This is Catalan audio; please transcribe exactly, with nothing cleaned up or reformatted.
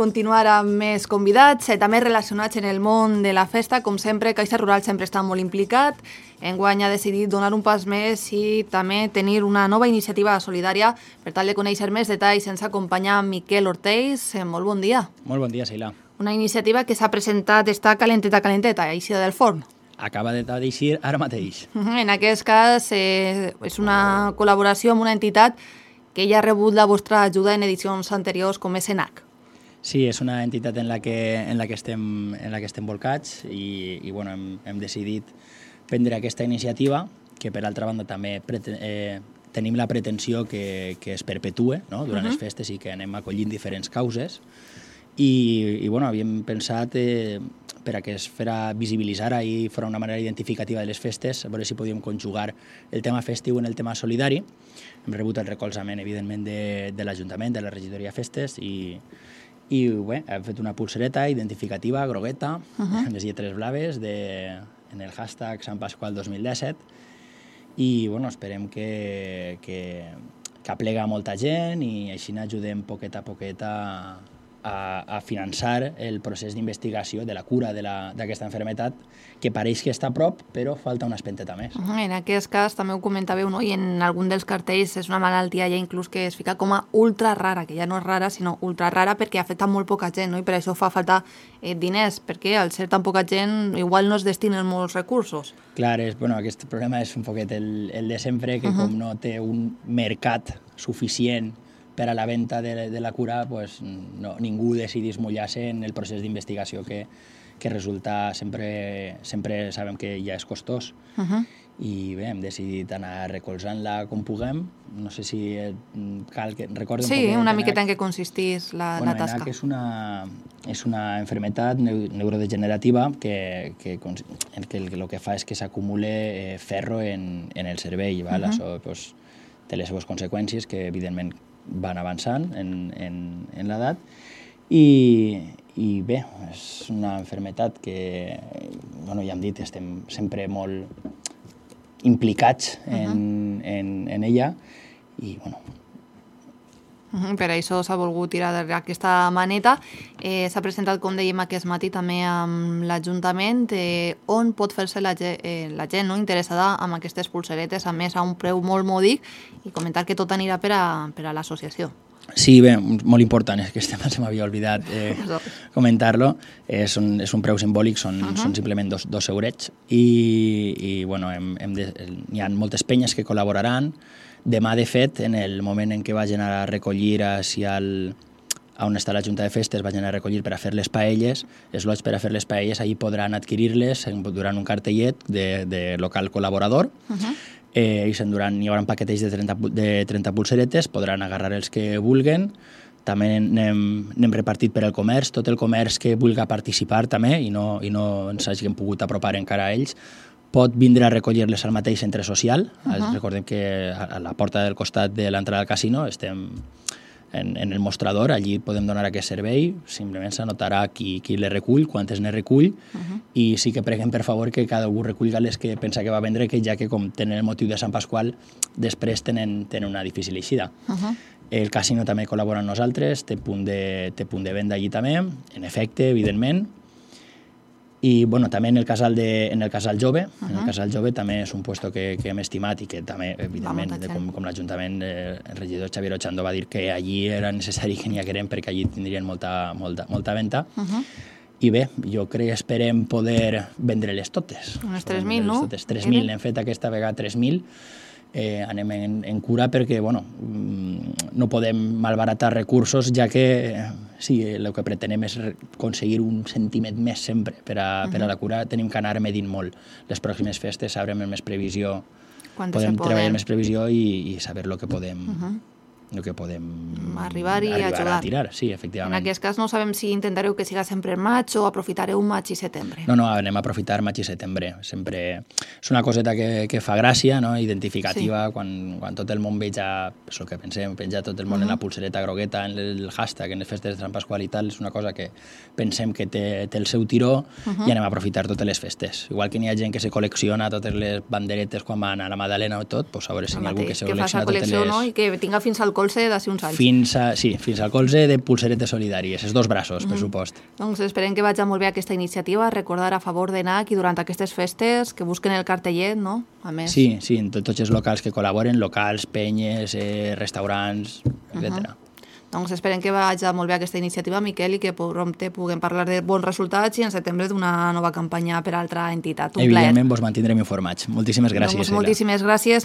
continuar amb més convidats, eh, també relacionats en el món de la festa. Com sempre, Caixa Rural sempre està molt implicat. Enguany ha decidit donar un pas més i també tenir una nova iniciativa solidària. Per tal de conèixer més detalls, ens acompanya Miquel Ortells. Eh, molt bon dia. Molt bon dia, Sheila. Una iniciativa que s'ha presentat, està calenteta, calenteta, eixida del forn. Acaba d'eixir ara mateix. En aquest cas, eh, és una col·laboració amb una entitat que ja ha rebut la vostra ajuda en edicions anteriors, com és ENAC. Sí, és una entitat en la que, en la que, estem, en la que estem volcats i, i bueno, hem, hem decidit prendre aquesta iniciativa, que per altra banda també preten, eh, tenim la pretensió que, que es perpetue, no?, durant uh-huh. les festes i que anem acollint diferents causes. I, i bueno, havíem pensat eh, per a que es fera visibilitzar i fora una manera identificativa de les festes, a veure si podíem conjugar el tema festiu en el tema solidari. Hem rebut el recolzament, evidentment, de, de l'Ajuntament, de la regidoria Festes, i, i bé, hem fet una pulsereta identificativa, grogueta, uh-huh. amb les lletres blaves, de, en el hashtag Sant Pasqual dos mil disset, i bueno, esperem que, que, que aplega molta gent i així n'ajudem poquet a poquet a, a, a finançar el procés d'investigació de la cura d'aquesta malaltia, que pareix que està a prop, però falta una espenteta més. En aquest cas, també ho comentàveu, no? I en algun dels cartells és una malaltia ja inclús que es fica com a ultra rara, que ja no és rara, sinó ultra rara perquè afecta molt poca gent, no? I per això fa falta eh, diners, perquè al ser tan poca gent igual no es destinen molts recursos. Clar, és, bueno, aquest problema és un poquet el, el de sempre, que uh-huh. com no té un mercat suficient per a la venda de, de la cura, pues, no, ningú decidís mullar-se en el procés d'investigació que, que resulta sempre, sempre sabem que ja és costós. Uh-huh. I bé, hem decidit anar recolzant-la com puguem. No sé si cal que recordem... Sí, un una miqueta en què consistís la, bueno, la tasca. ENAC és una, és una enfermetat neurodegenerativa que, que, en què el que fa és que s'acumule eh, ferro en, en el cervell. Val? Uh-huh. Això pues, té les seves conseqüències que, evidentment, van avançant en, en, en l'edat i, i bé, és una malaltia que, bueno, ja hem dit, estem sempre molt implicats en, uh-huh. en, en ella i, bueno... Uh-huh. Per això s'ha volgut tirar darrere aquesta maneta. Eh, s'ha presentat, com dèiem aquest matí, també amb l'Ajuntament, eh, on pot fer-se la, eh, la gent no, interessada amb aquestes pulseretes, a més a un preu molt mòdic, i comentar que tot anirà per a, per a l'associació. Sí, bé, molt important, és que este tema se m'havia oblidat eh, comentar-lo. És, un, és un preu simbòlic, són, uh-huh. són simplement dos, dos eurets, i, i bueno, hem, hem de, hi ha moltes penyes que col·laboraran. Demà, de fet, en el moment en què vagin a recollir si al, on està la Junta de Festes, vagin a recollir per a fer les paelles, els lots per a fer les paelles, allí podran adquirir-les durant un cartellet de, de local col·laborador. Uh-huh. eh, i s'enduran, hi haurà paquetells de trenta, de trenta pulseretes, podran agarrar els que vulguen. També n'hem, n'hem repartit per al comerç, tot el comerç que vulgui participar també i no, i no ens hagin pogut apropar encara a ells, pot vindre a recollir-les al mateix centre social. Uh-huh. Recordem que a la porta del costat de l'entrada al casino estem en, en el mostrador, allí podem donar aquest servei, simplement s'anotarà qui, qui les recull, quantes ne recull, uh-huh. i sí que preguem per favor que cada un recullga les que pensa que va vendre, que ja que com tenen el motiu de Sant Pasqual, després tenen, tenen una difícil eixida. Uh-huh. El casino també col·labora amb nosaltres, té punt de, té punt de venda allí també, en efecte, evidentment. I bueno, també en el casal, de, en el casal jove, uh-huh. en el casal jove també és un puesto que, que hem estimat i que també, evidentment, de, com, com l'Ajuntament, eh, el regidor Xavier Ochando va dir que allí era necessari que n'hi hagueren perquè allí tindrien molta, molta, molta venda. Uh-huh. I bé, jo crec que esperem poder vendre-les totes. Unes tres mil, no? tres mil, hem fet aquesta vegada tres mil. Eh, anem en, en cura perquè bueno, no podem malbaratar recursos, ja que eh, sí, el que pretenem és aconseguir un centímet més sempre per a, uh-huh. per a la cura. Tenim que anar medint molt les pròximes festes, sabrem més previsió, Quantes podem treballar més previsió i, i saber el que podem... Uh-huh. el que podem arribar i arribar ajudar. A tirar, sí, efectivament. En aquest cas no sabem si intentareu que siga sempre en maig o aprofitareu maig i setembre. No, no, anem a aprofitar maig i setembre. Sempre és una coseta que, que fa gràcia, no? Identificativa, sí. quan, quan tot el món veja, és el que pensem, penja tot el món uh-huh. en la pulsereta grogueta, en el hashtag, en les festes de Sant Pasqual i tal, és una cosa que pensem que té, té el seu tiró uh-huh. i anem a aprofitar totes les festes. Igual que n'hi ha gent que se col·lecciona totes les banderetes quan van a la Madalena o tot, pues a veure si n'hi ha algú que se que col·lecciona totes les... No? I que tinga fins al colze d'ací uns anys. Fins, a, sí, fins al colze de pulseretes solidàries, els dos braços, per supost. Doncs esperem que vagi molt bé aquesta iniciativa, recordar a favor de N A C i durant aquestes festes que busquen el cartellet, no? A més. Sí, sí, en tots els locals que col·laboren, locals, penyes, eh, restaurants, etcètera. Doncs esperem que vagi molt bé aquesta iniciativa, Miquel, i que prompte puguem parlar de bons resultats i en setembre d'una nova campanya per a altra entitat. Un plaer. Evidentment, vos mantindrem informats. Moltíssimes gràcies. Doncs moltíssimes gràcies.